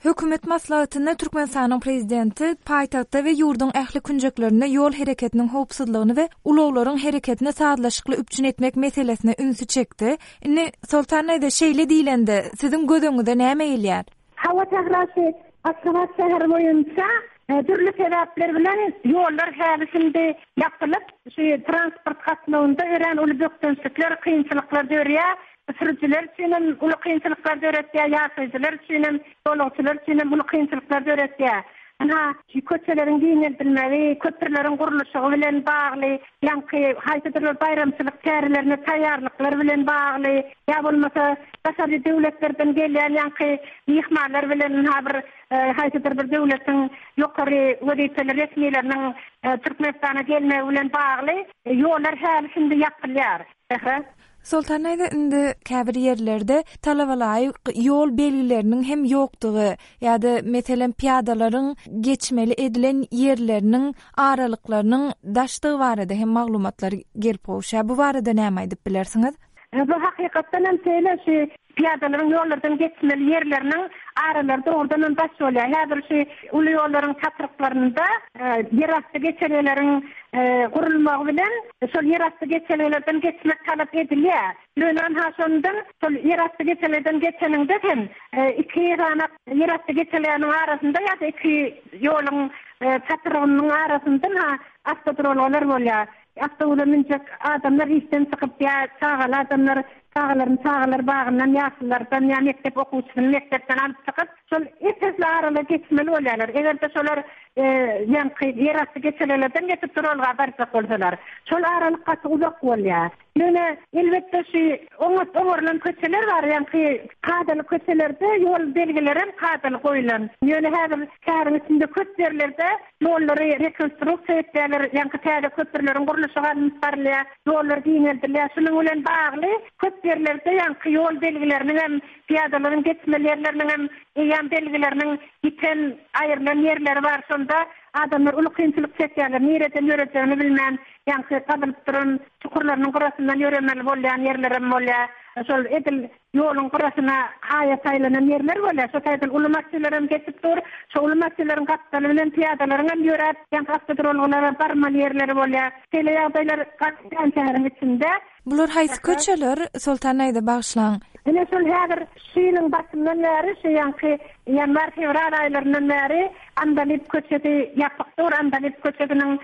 Hökümet maslahatynda Türkmenistanyň Prezidenti paýtagtda we ýurduň ähli künjeklerinde ýol hereketiniň howpsuzlygyny we ulaglaryň hereketini sazlaşykly üpjün etmek meselesine ünsi çekdi. Indi, Soltan daýza, şeýle diýlende, siziň göz öňüňize näme gelýär? Hawa, Sähra, şu Aşgabat şäheri boýunça dürli sebäpler bilen ýollar häli-şindi ýapylyp, şu transport gatnawynda örän uly bökdençlikler, kynçylyklar dörýär. Sürüjiler üçin hem uly kynçylyklar döretýär, ýaşaýjylar üçin hem, ýolagçylar üçin hem uly kynçylyklar döretýär. Ynha, şu köçeleriň giňeldilmegi, köprüleriň gurluşygy bilen bagly, ýaňky haýsydyr bir baýramçylyk çärelerine taýýarlyklar bilen bagly, ýa bolmasa daşary döwletlerden gelýän ýaňky myhmanlar bilen ynha bir haýsydyr bir döwletiň ýokary wezipeli resmileriniň Türkmenistana gelmegi bilen bagly ýollar häli-şindi ýapylýar. Sähra. Soltan daýza indi käbir ýerlerde talabalaýyk ýol belgileriniň hem ýokdugy ýa-da meselem pyýadalaryň geçmeli edilen ýerleriniň aralyklarynyň daşdygy barada hem maglumatlar gelip gowuşýar. Bu barada näme aýdyp bilersiňiz? Bu hakykatdan hem şeýle şu pyýadalaryň ýollardan geçmeli ýerleriniň aralary dogrudan hem daş bolýar. Häzir şu uly ýollaryň çatryklarynda ýerasty geçelgeleriň gurulmagy bilen şol ýerasty geçelgelerden geçmek talap edilýär. Ýöne ynha şondan şol ýerasty geçelgeden geçeniňde hem iki sany ýerasty geçelgäniň arasynda ýa-da iki ýoluň çatrygynyň arasynda ynha awtoduralgalar bolýar. Awtobusa münjek adamlar işden çykyp ýa çagaly adamlar çagalaryny çagalar bagyndan, ýaşululardan ýa mekdep okuwçysyny mekdepden alyp çykyp, şol ep-esli aralygy geçmeli bolýarlar. Eger-de şolar ýaňky ýerasty geçelgelerden geçip duralga barjak bolsalar, şol aralyk gaty uzak bolýar. Ýöne, elbetde, şu oňat oňarylan köçeler bar, ýaňky kadaly köçelerde ýol belgilerem kadaly goýlan. Ýöne häzir şäheriň içinde köp ýerlerde Ýollary rekonstruksiýa etýärler, ýaňky täze köprüleriň gurluşygy alnyp barylýar, ýollar giňeldilýär. Şunuň bilen bagly, köp ýerlerde ýaňky ýol belgileriniň hem, pyýadalaryň geçmeli ýerleriniň hem eýýäm belgileriniň ýiten, aýrylan ýerleri bar. Şonda adamlar uly kynçylyk çekýärler, nireden ýörejegini bilmän, ýaňky gazylyp duran çukurlarynyň gyrasyndan ýöremeli bolýan ýerlerem bolýar. Şol edil Ýoluň gyrasyna haýat aýlanan ýerler bolýar. Şo taýdan uly maşynlaram geçip dur. Şo uly maşynlaryň gapdaly bilen pyýadalaryň hem ýöräp, ýaňky awtoduralgalara barmaly ýerleri bolýar. Şeýle ýagdaýlar gaty kän şäheriň içinde. Bular haýsy köçeler, Soltan daýza bagyşlaň? Ine şol häzir şu ýylyň başyndan bäri, şu ýaňky ýanwar-fewral aýlaryndan bäri Andalyp köçesi ýapyk dur. Andalyp köçesiniň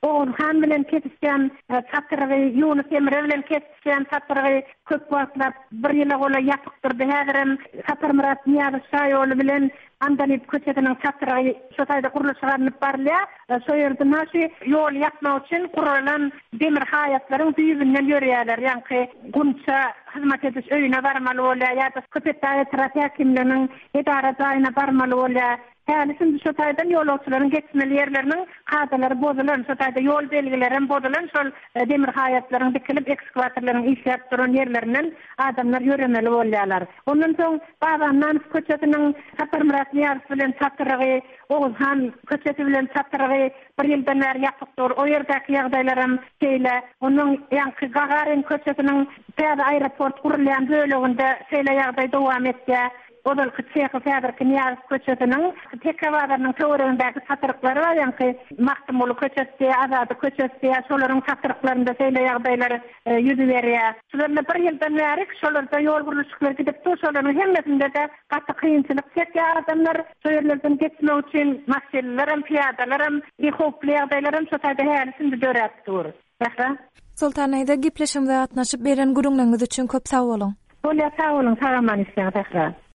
Oguzhan bilen kesişýän çatrygy, Ýunus Emre bilen Şem çatrygy köp wagtlap, bir ýyla golaý ýapyk durdy. Häzirem Saparmyrat Nyýazow şaýoly bilen Andalyp köçesiniň çatrygy şo taýda gurluşyk alnyp barylýar. Şo ýerde naşy ýoly ýapmak üçin guralan demir haýatlaryň düýbünden ýörýärler. Ýaňky Gunça hyzmat ediş öýüne barmaly bolýar ýa-da Köpetdag etrap häkimliginiň edara jaýyna barmaly bolýar. Häli-şindi şo taýdan ýolagçylaryň geçmeli ýerleriniň kadalary bozulan, şo taýda ýol belgilerem bozulan, şol demir haýatlaryň dikilip, ekskwatorlaryň işläp duran ýerlerinden adamlar ýöremeli bolýarlar. Ondan soň Baba Annanow köçesiniň Saparmyrat Nyýazow bilen çatrygy, Oguzhan köçesi bilen çatrygy bir ýyldan bäri ýapyk dur. O ýerdäki ýagdaýlaram şeýle. Ondan ýaňky Gagarin köçesiniň täze aeroport gurulýan böleginde şeýle ýagdaý dowam etýär. Ozalky Çehow, häzirki Nyýazow köçesiniň Teke bazarynyň töweregindäki çatryklary bar, ýaňky Magtymguly köçesi diýýär, Azady köçesi diýýär, şolaryň çatryklarynda şeýle ýagdaýlar ýüz berýär. Şular bir ýyldan bäri şolarda ýol gurluşyklary gidip dur, şolaryň hemmesinde-de gaty kynçylyk çekýär adamlar. Şo ýerlerden geçmek üçin maşynlylaram, pyýadalaram, howply ýagdaýlaram şo taýda häli-şindi döräp dur. Sähra. Soltan daýza gepleşigimize gatnaşyp beren gürrüňleriňiz üçin köp sag boluň. Bolýar sag boluň sag aman işläň Sähra.